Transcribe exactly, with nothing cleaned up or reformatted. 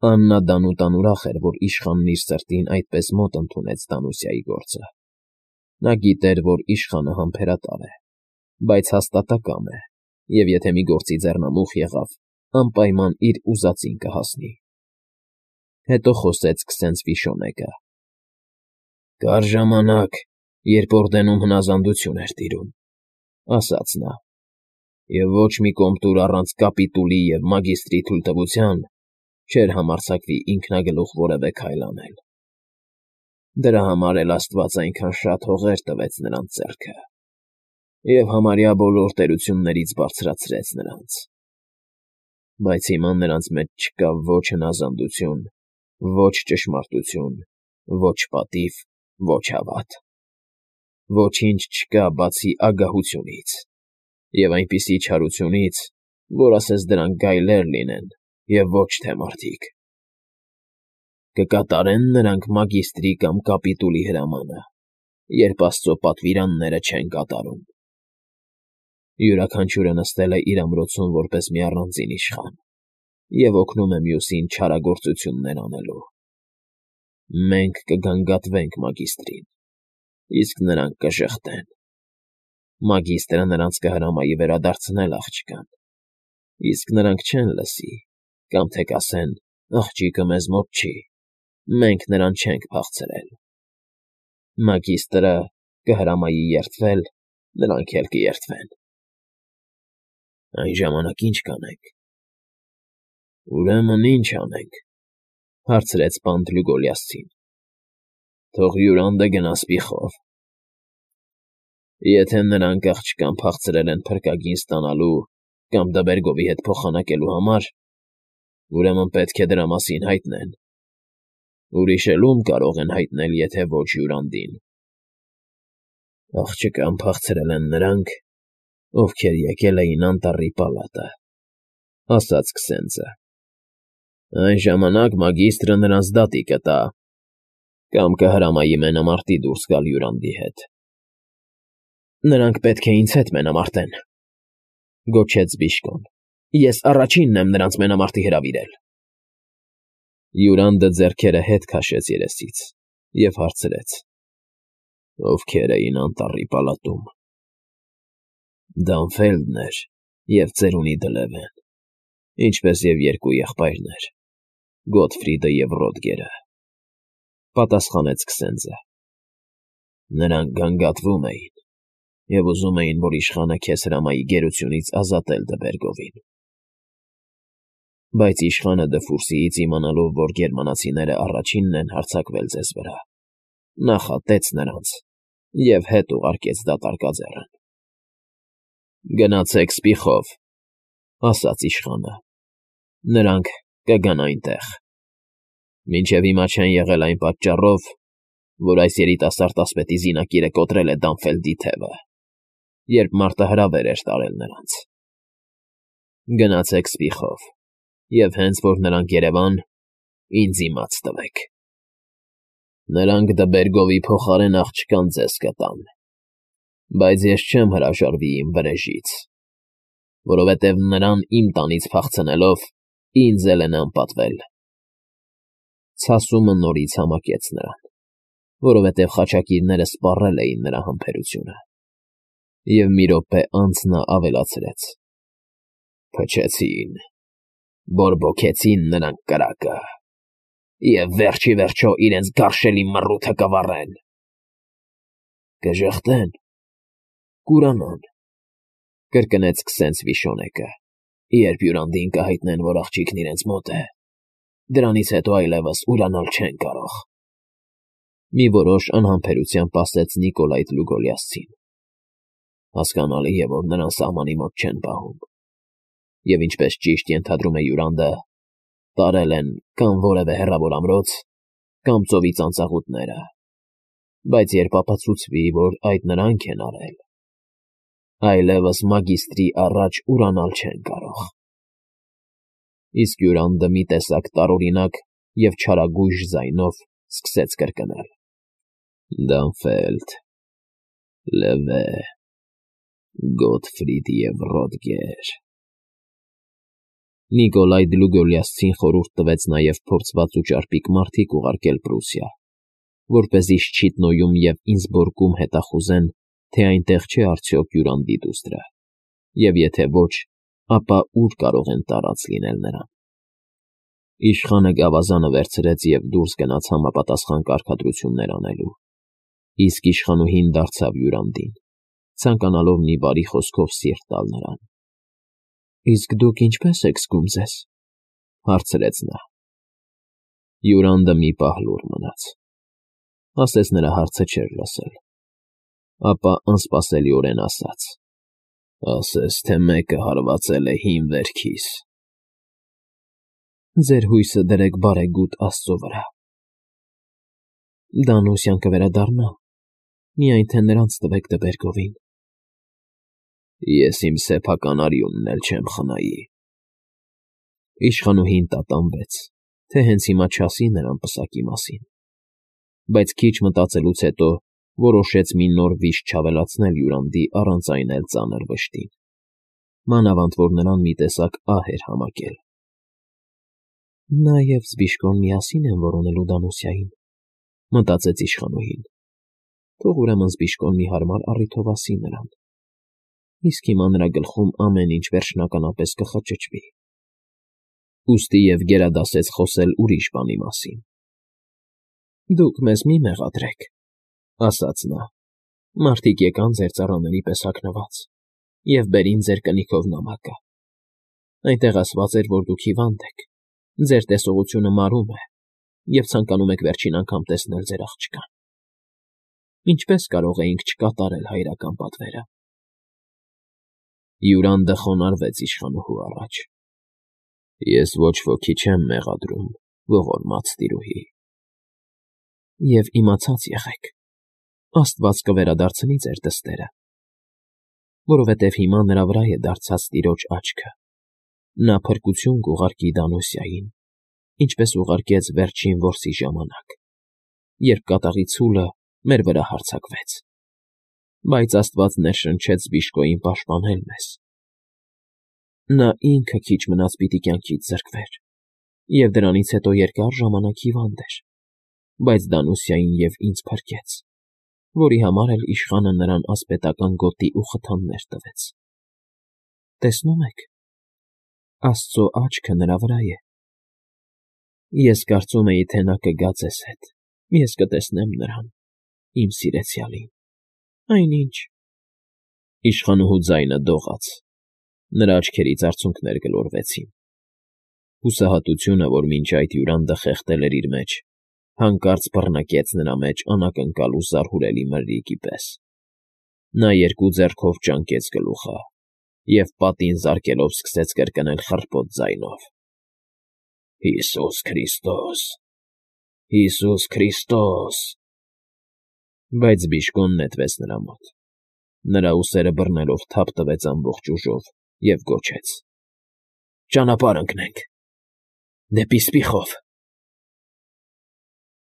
Աննադանուտան ուրախ էր, որ իշխանն իր սրտին այդպես մոտ ընդունեց Դանուսիայի գործը. նա գիտեր, որ իշխանը համբերատար է, բայց հաստատակամ է և եթե մի գործի ձեռնամուխ եղավ, անպայման իր ուզածին կհասնի։ Հետո խոսեց քսենց Վիշոնեկը. «Կար ժամանակ, երբ Օրդենում հնազանդություն էր տիրում,֊ ասաց նա,֊ և ոչ մի կոմտուր առանց կապիտուլի և մագիստրի թույլտվության չէր համարձակվի ինքնագլուխ որևէ քայլ անել։ Դրա համար էլ աստված այնքան շատ հողեր տվեց նրանց ձեռքը և համարյա բոլոր տերություններից բարձրացրեց նրանց։ Բայց հիմա նրանց մեջ չկա ոչ հնազանդություն, ոչ ճշմարտություն, ոչ պատիվ, ոչ հավատ։ Ոչինչ չկա, բացի ագահությունից և այնպիսի չարությունից, որ ասես դրանք գայլեր լինեն և ոչ թե մարդիկ։ Կկատարե՞ն նրանք մագիստրի կամ կապիտուլի հրամանը, երբ աստծո պատվիրանները չեն կատարում։ Յուրաքանչյուրը նստել է իր ամրոցում որպես մի առանձին իշխան և օգնում է մյուսին չարագործություններ անելու։ Մենք կգանգատվենք մագիստրին, իսկ նրանք կժխտեն։ Մագիստրը նրանց կհրամայի վերադարձնել աղջկան, իսկ նրանք չեն լսի կամ թե կասեն. «Աղջիկը մեզ մոտ չի, մենք նրան չենք փախցրել»։ Մագիստրը կհրամայի երդվել, նրանք էլ կերդվեն։ Այն ժամանակ ի՞նչ կանենք։ ֊ Ուրեմն ի՞նչ անենք,֊ հարցրեց պանդ Լյուգոլիասցին։ ֊ Թող Յուրանդը գնա սպիխով։ Եթե նրանք աղջկան փախցրել են փրկագին ստանալու կամ Դբերգովի հետ փոխանակելու համար, ուրեմն պետք է դրա մասին հայտնեն։ Ուրիշ էլ ո՞ւմ կարող են հայտնել, եթե ոչ Յուրանդին։ ֊ Աղջկան փախցրել են նրանք, ովքեր եկել էին անտառի պալատը,֊ ասաց քսենձը։ Այն ժամանակ մագիստրը նրանց դատի կտա կամ կհրամայի մենամարտի դուրս գալ Յուրանդի հետ։ ֊ Նրանք պետք է ինձ հետ մենամարտեն,֊ գոչեց Բիժկոն։ Ես առաջինն եմ նրանց մենամարտի հրավիրել։ Յուրանդը ձեռքերը հետ քաշեց երեսից և հարցրեց. ովքեր էին անտառի պալատում։ ֊ Դանֆելդն էր և ծերունի Դլևեն, ինչպես և երկու եղբայրներ՝ Գոթֆրիդը և Ռոդգերը,֊ պատասխանեց քսենձը։ Նրանք գանգատվում էին և ուզում էին, որ իշխանը քեզ հրամայի գերությունից ազատել Դբերգովին։ Բայց իշխանը Դֆուրսիից իմանալով, որ գերմանացիները առաջինն են հարձակվել ձեզ վրա, նախատեց նրանց և հետ ուղարկեց դատարկաձեռն։ ֊ Գնացեք սպիխով,֊ ասաց իշխանը։ Նրանք կգան այնտեղ։ Մինչև հիմա չեն եղել այն պատճառով, որ այս երիտասարդ ասպետի զինակիրը կոտրել է Դանֆելդի թևը, երբ մարտը հրավեր էր տարել նրանց։ Գնացեք սպիխով և հենց որ նրանք երևան, ինձ իմաց տվեք։ Նրանք Դբերգովի փոխարեն աղջկան ձեզ կտան, բայց ես չեմ հրաժարվի իմ վրեժից, որովհետև նրան իմ տանից փախցնելով ինձ էլ են անպատվել։ Ցասումը նորից համակեց նրան, որովհետև խաչակիրները սպառել էին նրա համբերությունը, և մի րոպե անց նա ավելացրեց. Փչեցին, բորբոքեցին նրանք կրակը և վերջ ի վերջո իրենց գարշելի մռութը կվառեն։ ֊ Կժխտեն, կուրանան,֊ կրկնեց քսենց Վիշոնեկը,֊ երբ Յուրանդին կհայտնեն, որ աղջիկն իրենց մոտ է, դրանից հետո այլևս ուրանալ չեն կարող։ Մի որոշ անհամբերությամբ ասաց Նիկոլայտ Լյուգոլիասցին։ Հասկանալի է, որ նրան սահմանի մոտ չեն պահում, և ինչպես ճիշտ ենթադրում է Յուրանդը, տարել են կամ որևէ հեռավոր ամրոց, կամ ծովի ծանծաղուտները, բայց երբ ապացուցվի, որ այդ նրանք են արել, այլևս մագիստրի առաջ ուրանալ չեն կարող։ Իսկ Յուրանդը մի տեսակ տարօրինակ և չարագույժ ձայնով սկսեց կրկնել. Դանֆելդ, Լևե, Գոթֆրիդ և Ռոդգեր։ Նիկոլայ Դլուգոլիասցին խորհուրդ տվեց նաև փորձված ու ճարպիկ մարդիկ ուղարկել Պրուսիա, որպեսզի Շչիտնոյում և Ինսբորգում հետախուզեն, թե այնտեղ չէ արդյոք Յուրանդի դուստրը, և եթե ոչ, ապա ուր կարող են տարած լինել նրան։ Իշխանը գավազանը վերցրեց և դուրս գնաց համապատասխան կարգադրություններ անելու, իսկ իշխանուհին դարձավ Յուրանդին, ցանկանալով մի բարի խոսքով սիրտ տալ նրան։ Իսկ դուք ինչպե՞ս եք զգում ձեզ,֊ հարցրեց նա։ Յուրանդը մի պահ լուռ մնաց, ասես նրա հարցը չէր լսել, ապա անսպասելիորեն ասաց. ասես թե մեկը հարվածել է հին վերքիս։ Ձեր հույսը դրեք բարեգութ Աստծո վրա։ Դանուսյան կվերադառնա, միայն թե նրանց տվեք տպերկովին։ Ես իմ սեփական արյունն էլ չեմ խնայի։ Իշխանուհին տատանվեց, թե հենց հիմա չասի նրան պսակի մասին, բայց քիչ մտածելուց հետո որոշեց մի նոր վիշտ չավելացնել Յուրանդի առանց այն էլ ծանր վշտին, մանավանդ որ նրան մի տեսակ ահ էր համակել։ Նա և Զբիշկոն միասին են որոնելու Դանուսիային, մտածեց իշխանուհին, թող ուրեմն Զբիշկոն մի հարմար առիթով ասի նրան, իսկ հիմա նրա գլխում ամեն ինչ վերջնականապես կխճճվի։ Ուստի և գերադասեց խոսել ուրիշ բանի մասին։ Դուք մեզ մի մեղադրեք, ասաց նա, մարդիկ եկան ձեր ծառաների պես հագնված և բերին ձեր կնիքով նամակը։ Այնտեղ ասված էր, որ դուք հիվանդ եք, ձեր տեսողությունը մարում է, և ցանկանում եք վերջին անգամ տեսնել ձեր աղջկան։ Ինչպե՞ս կարող էինք չկատարել հայրական պատվերը։ Յուրանդը խոնարհվեց իշխանուհու առաջ։ Ես ոչ ոքի չեմ մեղադրում, ողորմած տիրուհի։ Եվ իմացած եղեք, Աստված կվերադարձնի ձեր դստերը, որովհետև հիմա նրա վրա է դարձած տիրոջ աչքը, նա փրկություն կուղարկի Դանուսիային, ինչպես ուղարկեց վերջին որսի ժամանակ, երբ կատաղի ցուլը մեր վրա հարձակվեց, բայց Աստված ներշնչեց Զբիշկոյին պաշտպանել մեզ։ Նա ինքը քիչ մնաց պիտի կյանքից զրկվեր, և դրանից հետո երկար ժամանակ հիվանդ էր, բայց Դանուսիային և ինձ փրկեց, որի համար էլ իշխանը նրան ասպետական գոտի ու խթաններ տվեց։ Տեսնում եք, Աստծո աչքը նրա վրա է։ Ես կարծում էի, թե նա կգա ձեզ հետ, ես կտեսնեմ նրան, իմ սիրեցյալին։ Այնինչ… Իշխանուհու ձայնը դողաց, նրա աչքերից արցունքներ գլորվեցին։ Հուսահատությունը, որ մինչ այդ Յուրանդը խեղդել էր իր մեջ, հանկարծ բռնկեց նրա մեջ անակնկալ ու զարհուրելի մրրիկի պես։ Նա երկու ձեռքով ճանկեց գլուխը և պատին զարկելով սկսեց կրկնել խռպոտ ձայնով. Հիսուս Քրիստոս… Հիսուս Քրիստոս… Բայց Զբիշկոն նետվեց նրա մոտ, նրա ուսերը բռնելով թափ տվեց ամբողջ ուժով և գոչեց. Ճանապարհ ընկնենք… դեպի Սպիխով։